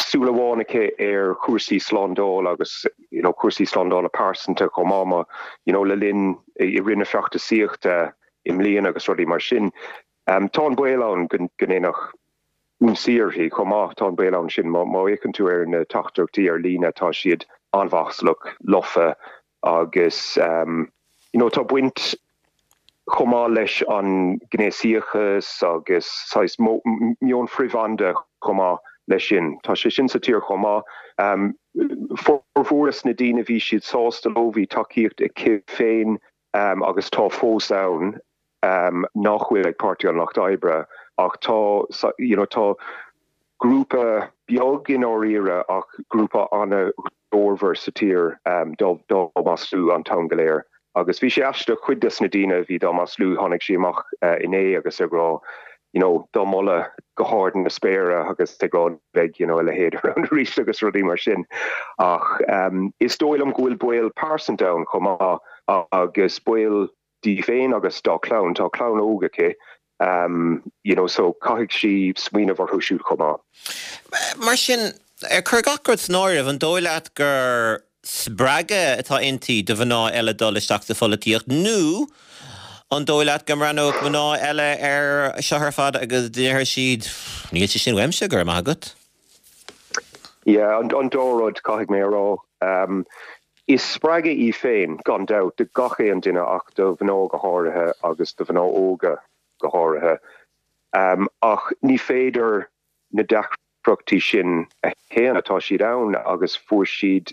súil amháin aici ar chúrsaí slándála agus you know cúrsaí slándála pearsanta chomh maith mar you know le linn i rith na feachtasaíochta i mbliana agus rudaí mar sin. Tá an baol ann go ndéanfadh ionsaí uirthi chomh maith. Tá an baol ann sin má fhéachann tú ar na teachtaireachtaí ar líne, tá siad an-mhaslach, lofa agus you know tá baint Chomh maith leis an gnéasachas agus saghas meon frithbhanda chomh maith leis sin. Tá sé sin sa tír chomh maith. Formhór na daoine bhí siad sásta leo, bhí tacaíocht aici féin agus tá fós ann nach bhfuil ag Páirtí an Lucht Oibre ach tá you know tá grúpa beag i ndáiríre ach grúpa an-ghlórmhar sa tír dá maslú an t-am go léir. Agus bhí sé aisteach cuid des na daoine a bhí dá maslú tháinig sí amach inné agus ag rá you know dá moladh go hard na spéire agus ag rá beidh you know a leithéid ann arís agus rudaí mar sin. Ach um, is dóigh liom go bhfuil baol pearsanta ann chomh maith agus baol di féin agus dá clann tá clann óg aici um, you know, so caithfidh sí smaoineamh orthu siúd chomh maith. Mar sin ar cur gach rud san áireamh an dóigh leat gur spreagadh atá inti do mhná eile dul isteach sa pholaitíocht nó an dóigh leat go mbreathnódh mná eile ar seo ar fad agus déarfaidh siad níl sé sin uaimse go raibh maith agat? Yeah, an, an dá rud caithfidh mé a rá. Um, is spreagadh í féin gan dabht do gach aon duine ach do mhná go háirithe agus do mhná óga go háirithe. Um, ach ní féidir na deacrachtaí sin a shéanadh tá siad ann agus fuair siad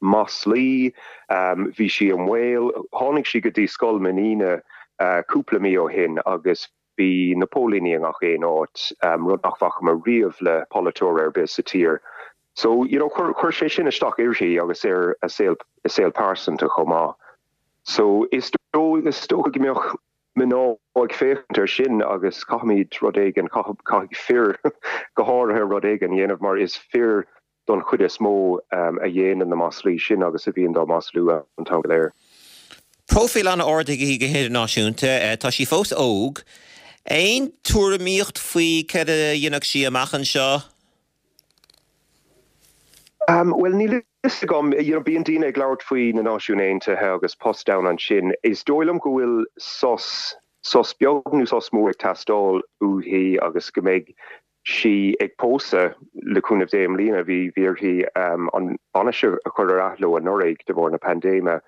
maslaí, um, bhí sí i mbaol, tháinig sí go dtí scoil m'iníne uh, cúpla mí ó shin agus bhí na póilíní i ngach aon áit um, rud nach bhfaca mé riamh le polaiteoir ar bith sa tír. So you know chuir chuir sé sin isteach uirthi agus ar a saol a saol pearsanta chomh maith. So is dóigh is dócha go mbeadh mná ag féachaint ar sin agus caithfimid rud éigin caithfidh fir go háirithe rud éigin a dhéanamh mar is fir don chuid is mó um, a dhéanann na maslaí sin agus a bhíonn dá maslú an t-am go léir. Próifíl an-ard aici go hidirnáisiúnta, tá sí fós óg. Aon tuairimíocht faoi céard a dhéanfaidh sí amach anseo? Um, well níl fhios agam you know, bíonn daoine ag labhairt faoi na Náisiúin Aontaithe agus post ann ansin. Is dóigh liom go bhfuil sos sos beag nó sos mór ag teastáil uaithi agus go mbeidh sí ag pósadh le cúnamh Dé i mbliana bhí bhí uirthi um, an bainis a chur ar athló anuraidh de bharr na paindéime.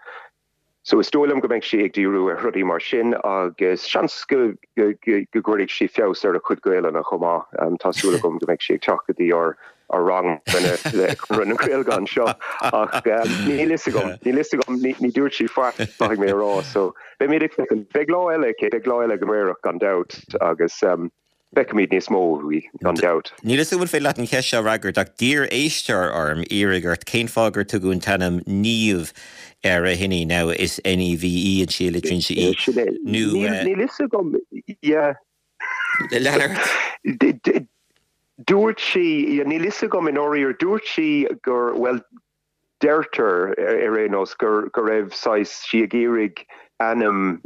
So is dóigh liom go mbeidh sí ag díriú ar rudaí mar sin agus seans go go gcuirfidh sí feabhas ar a cuid Gaelainne chomh maith um, tá súil agam go mbeidh sí ag teacht go dtí ár ár ranganna le Conradh na Gaeilge anseo ach um, níl fhios agam níl fhios agam ní dúirt sí faic caithfidh mé a rá so beimid ag beidh lá eile beidh lá eile go meirach gan dabht agus um, feicfimid níos mó í gan dabht. Níl fhios agam an féidir leat an cheist seo a fhreagairt ach d'iarr éisteoir orm iarraidh ort cén fáth gur tugadh an t-ainm Niamh ar a hiníon now is NEVE an sí litríonn sí í. Níl fhios agam leart. Dúirt sí níl fhios agam in orir dúirt sí gur well deirtear ar aon nós gur go raibh saghas sí ag iarraidh ainm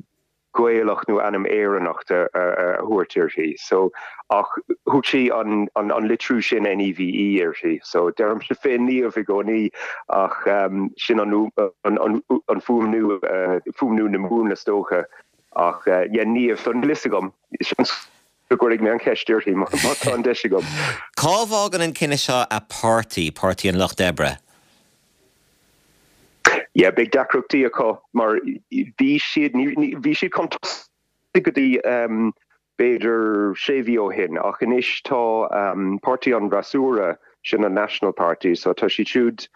Gaelach nó ainm Éireannach a thabhairt uirthi. So ach thug sí an, an, an litriú sin NEVE uirthi. So deirimse féin Niamh i gcónaí ach um, sin an, an, an, an fuaimniú uh, fuaimniú na Mumhan is dócha ach uh, yeah, Niamh so níl fhios agam go gcuirfidh mé an cheist uirthi má tá an deis agam. Cá bhfágann an cinneadh seo a páirtí Páirtí an Lucht Oibre? Yeah, beidh deacrachtaí acu mar bhí siad bhí siad chun go dtí um, b'fhéidir sé mhí ó shin ach anois tá um, Páirtí an Fhreasúra sin an National Party, so tá siad siúd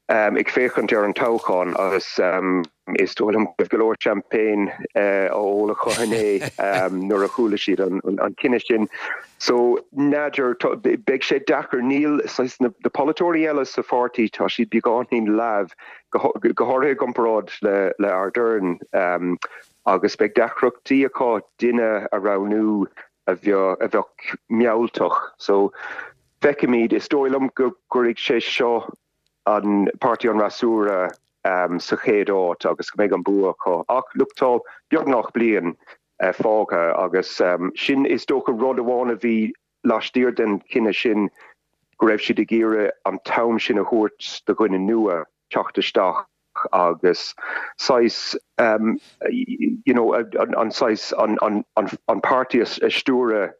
um, ag féachaint ar an toghchán agus um, is dóigh liom go leor champagne uh, á ól acu inné um, nuair a chuala siad an, an, an cinneadh sin. So n'fheadar beidh sé deacair níl na, na polaiteoirí eile sa pháirtí tá siad beagáinín leamh go go háirithe i gcomparáid le le Ardern um, agus beidh deacrachtaí acu duine a roghnú a bheadh a bheadh mealltach. So feicfimid is dóigh liom go gcuirfidh sé seo an Páirtí an Fhreasúra um, sa chéad áit agus go mbeidh an bua acu. Ach look tá beagnach bliain uh, fágtha agus um, sin is dócha rud amháin a bhí laistiar den chinneadh sin go raibh siad ag iarraidh an t-am sin a thabhairt do dhuine nua teacht isteach agus saghas um, you know, an, an saghas an, an, an, an páirtí a stiúradh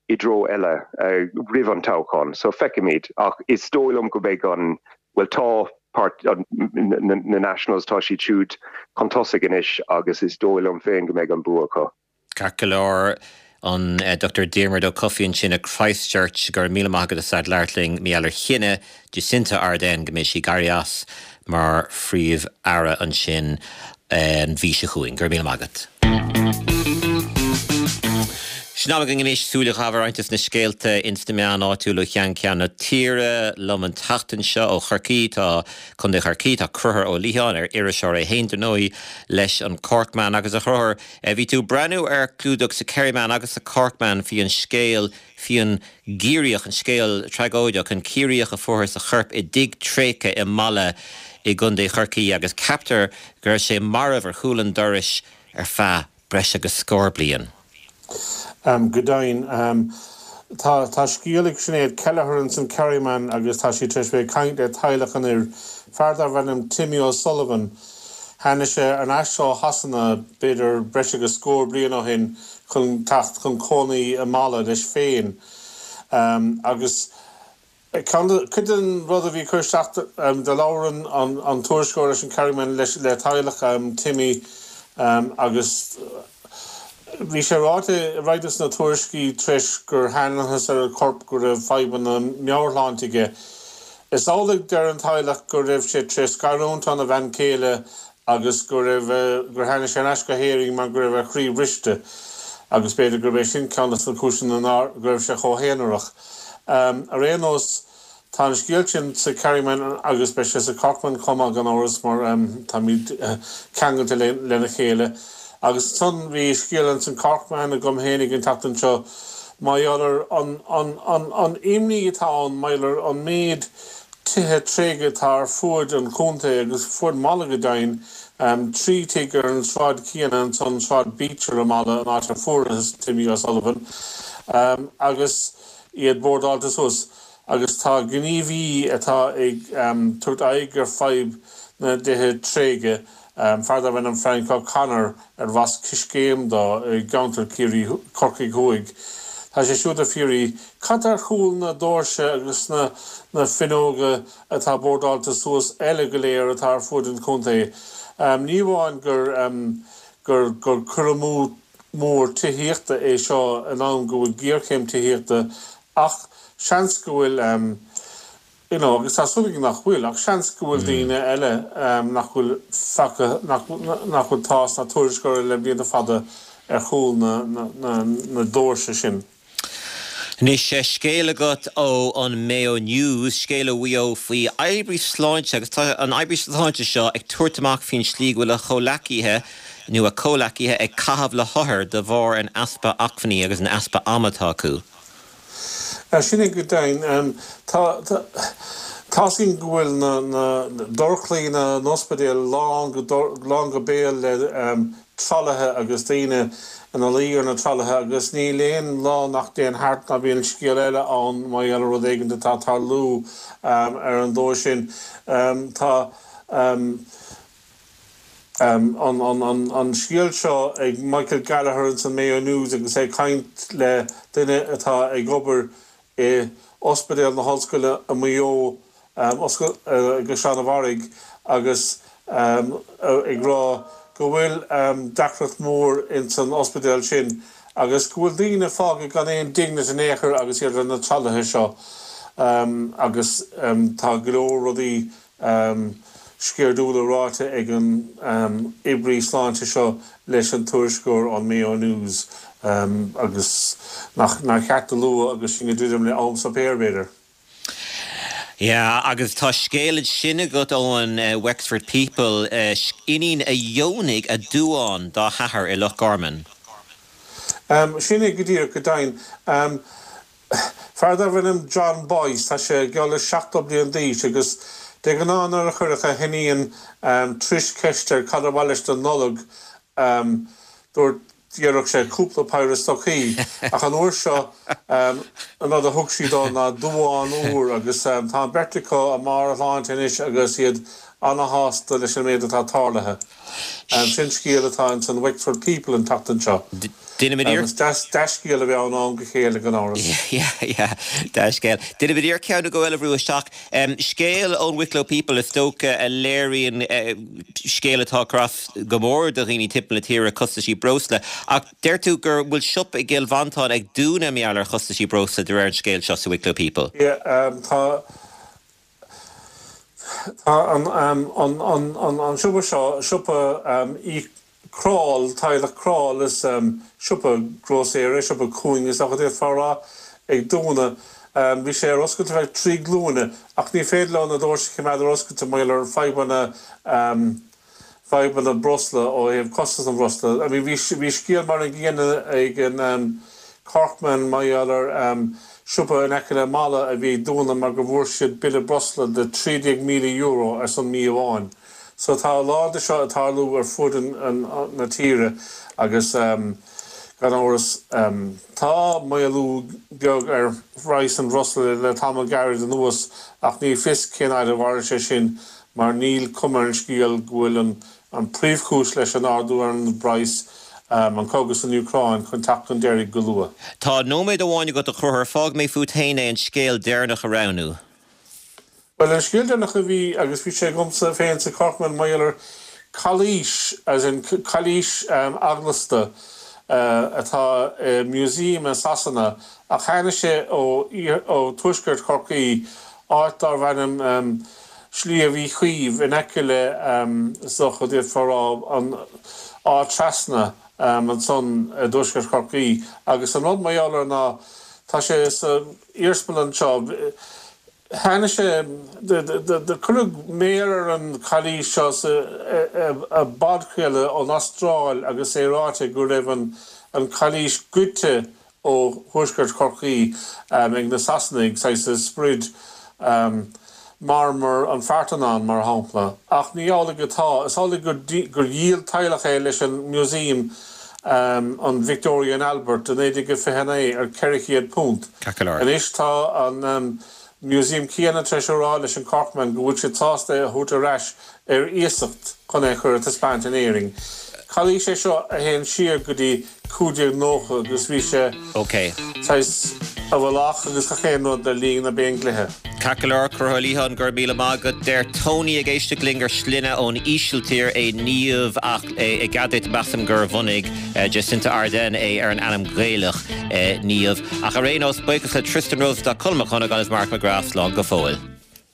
i dtreo eile uh, roimh an toghchán, so feicfimid ach is dóigh liom go mbeidh an well tá páirt na Nationals tá siad siúd chun tosaigh anois agus is dóigh liom féin go mbeidh an bua acu. Ceart go leor an eh, Dr Diarmuid Ó Cofaigh ansin i Christchurch go raibh míle maith agat as labhairt linn mar gheall ar chinneadh Jacinda Ardern go mbeidh sí ag éirí as mar phríomh-aire ansin eh, an mhí seo chugainn go raibh míle maith agat. Sin am againn anois súil a chaitheamh ar roinnt de na scéalta ins na meáin áitiúla ó cheann ceann na tíre liom an tseachtain seo ó Chorcaí tá Contae Chorcaí tá Conchúr Ó Liatháin ar iriseoir é féin dar ndóigh leis an Corkman agus a Chonchúir bhí tú ag breathnú ar clúdach sa Kerryman agus sa Corkman faoi an scéal faoi an gCiarraíoch an scéal tragóideach an Ciarraíoch a fuarthas a chorp i dtigh tréigthe i Mala i gContae Chorcaí agus ceaptar go raibh sé marbh ar chúl an dorais ar feadh breis agus scór bliain. Um, go deimhin um, tá tá scéal ag Sinéad Kelleher in san Kerryman agus tá sí tar éis bheith ag caint le teaghlach an fhir fear darbh ainm Timmy O'Sullivan. Tháinig sé ar ais ó Shasana b'fhéidir breis agus scór bliain ó shin chun teacht chun cónaí i Mala leis féin. Um, agus Cuid den rud a bhí cur isteach um, de labhair an, an tuairisceoir leis an Kerryman leis le teaghlach um, Timmy um, agus Bhí sé ráite roinnt sna tuairiscí tar éis gur thángthas ar an chorp go raibh fadhbanna meabhairshláinte aige. Is amhlaidh deir an teaghlach go raibh sé tar éis scarúint óna bhean chéile agus go raibh gur tháinig sé ar ais go hÉirinn mar go raibh a chroí briste agus b'fhéidir gurb é sin ceann de na cúiseanna go raibh sé chomh haonarach. Um, ar aon nós Tá an scéal sin sa Kerryman agus beidh sé sa Corkman chomh maith gan amhras mar um, táimid uh, ceangailte le, lena chéile. Agus ansan bhí scéal an Corkman agam féinig an tseachtain seo mar gheall ar an, an, an, an imní atá ann mar gheall ar an méid tithe tréigthe atá ar fuaid an chontae agus fuaid Mala go deimhin um, trí tigh ar an sráid chéanna ansan Sráid Beecher i Mala an áit a fuarthas Timmy O'Sullivan um, agus iad bordáilte suas agus tá gníomhaí atá ag um, tabhairt aghaidh ar fadhb na dtithe tréigthe um, fear darbh ainm Frank O'Connor arbh as Coiscéim dó i gceantar Ciarraí Corcaigh Thuaidh. Tá sé siúd ag fiafraí cad ar chúl na doirse agus na, na fuinneoga atá bordáilte suas eile go léir atá ar fud an chontae. Um, ní amháin gur, um, gur, gur cur amú mór tithíochta é seo in am go bhfuil géarchéim tithíochta ach seans go bhfuil um, you know, agus tá súil nach bhfuil ach seans go bhfuil mm. daoine eile um, nach bhfuil feicthe nach bhfuil tásc ná tuairisc le blianta fada ar chúl na, na, na, na doirse sin. Anois scéal agat ó an Mayo News, scéal ó Mhaigh Eo faoi oibrí sláinte agus tá an oibrí sláinte seo ag tabhairt amach faoin slí go bhfuil a chomhleacaithe nó a comhleacaithe ag caitheamh le hothair de bharr an easpa acmhainní agus an easpa ama atá acu. Sin é go deimhin tá sin go bhfuil na dorchlaí na n-ospidéal lán lán go béal le tralaithe agus daoine ina luí ar na tralaithe agus níl aon lá nach dtéann thart nach mbíonn scéal eile ann mar gheall ar rud éigin atá ag tarlú ar an dóigh sin. Tá an scéal seo ag Michael Gallagher in san Mayo News agus é ag caint le duine atá ag obair i Ospidéal na hOllscoile i Maigh Eo i gCaisleán an Bharraigh agus ag rá go bhfuil deacracht mór in san ospidéal sin agus go bhfuil daoine fágtha gan aon dínit in aon chor agus iad ar na tralaithe seo agus tá go leor rudaí sceirdiúla ráite ag an oibrí sláinte seo leis an tuairisceoir an Mayo News agus nach nach ceart a lua agus sinn ag druidim le am suipéir b'fhéidir. Yeah, agus tá scéal sin agat ón uh, Wexford People uh, iníon a dheonaigh a duán dá hathair i Loch Garman. Um, sin é go díreach go deimhin. Um, fear darbh ainm John Boyce tá sé geall le seachtó bliain d'aois agus de ghnáth nuair a chuirfeadh a hiníon um, Trish ceist air cad ar mhaith leis don Nollaig um, dúirt D'iarrfadh sé cúpla péire stocaí ach an uair seo an rud a thug sí dó ná duán úr agus tá an bheirt acu i mbarr a sláinte anois agus iad ana-shásta leis an méid atá tarlaithe. Sin scéal atá in san Wexford People an tseachtain seo. Déanfaimid Dea-scéal a bheith ann am go chéile gan amhras. Yeah, yeah, dea-scéal. Déanfaimid iarracht ceann nó dhó eile a bhrú isteach. Scéal ón Wicklow People is dócha a léiríonn scéal atá ag cur as go mór do dhaoine timpeall na tíre, costaisí breosla. Ach deir tú gur bhfuil siopa i gCill Mhantáin ag dúnadh mar gheall ar chostaisí breosla de réir an scéil seo sa Wicklow People. Yeah, tá tá an an an an an siopa seo, siopa Uí Crawl, teaghlach Crawl, is siopa grósaera, siopa cúing is dócha d'fhéadfá a rá, ag dúnadh. Bhí sé ar oscailt ar feadh trí glúine ach ní féidir leo na doirse a choimeád ar oscailt mar gheall ar fadhbanna fadhbanna breosla ó thaobh costas an bhreosla. I mean bhí bhí scéal mar an gcéanna ag an Corkman mar gheall ar siopa in aice le Mala a bhí ag dúnadh mar go bhfuair siad bille breosla de trí déag míle euro ar son mí amháin. So tá a lán de seo ag tarlú ar fud na tíre agus gan amhras tá maolú beag ar phraghas an bhreosla le tamall gairid anuas ach ní fios cén fhad a mhairfidh sé sin mar níl cuma ar an scéal go bhfuil an príomhchúis leis an ardú ar an bpraghas, an cogadh san Úcráin, chun teacht chun deiridh go luath. Tá nóiméad amháin agat a Chonchúir, fágfaidh mé fút féin é an scéal deireanach a roghnú. Bhuel, an scéal deireanach a bhí, agus bhí sé agamsa féin sa Corkman, mar gheall ar cailís, as in cailís eaglasta atá i museum i Sasana, ach tháinig sé ó ó tuaisceart Chorcaí, áit darbh ainm Sliabh Uí Chaoimh, in aice le, is dócha, d'fhéadfá a rá, an Áth Trasna ansan i dtuaisceart Chorcaí. Agus an rud mar gheall air ná, tá sé sa iarsmalann seo, Tháinig sé, do cuireadh méar ar an chailís seo sa bpodchraoladh ón Astráil agus é ráite go raibh an chailís goidte ó thuaisceart Chorcaí ag na Sasanaigh, saghas sprid marmar an Pharthenon mar shampla. Ach ní amhlaidh atá. Is amhlaidh gur dhíol teaghlach é leis an Museum an Victoria and Albert i naoi déag a fiche naoi ar ceithre chéad punt. Anois tá an museum céanna tar éis a rá leis an Corkman go bhfuil siad sásta é a thabhairt ar ais ar iasacht chun é a chur ar taispeáint in Éirinn. Cailís é seo a théann siar go dtí cúig déag nócha agus bhí sé saghas i bhfolach agus gach aon rud le linn na bPéindlíthe. Ceart go leor, Conchúr Ó Liatháin, go raibh míle maith agat. Deir Tony ag éisteacht linn gur sloinne ón Ísiltír é Niamh ach i gcead duit measaim gur bhunaigh Jacinda Ardern é ar an ainm Gaelach Niamh. Ach ar aon nós, buíochas le Tristan Rosenstock, Colm Mac Dhonnagáin agus Mark McGrath, slán go fóill.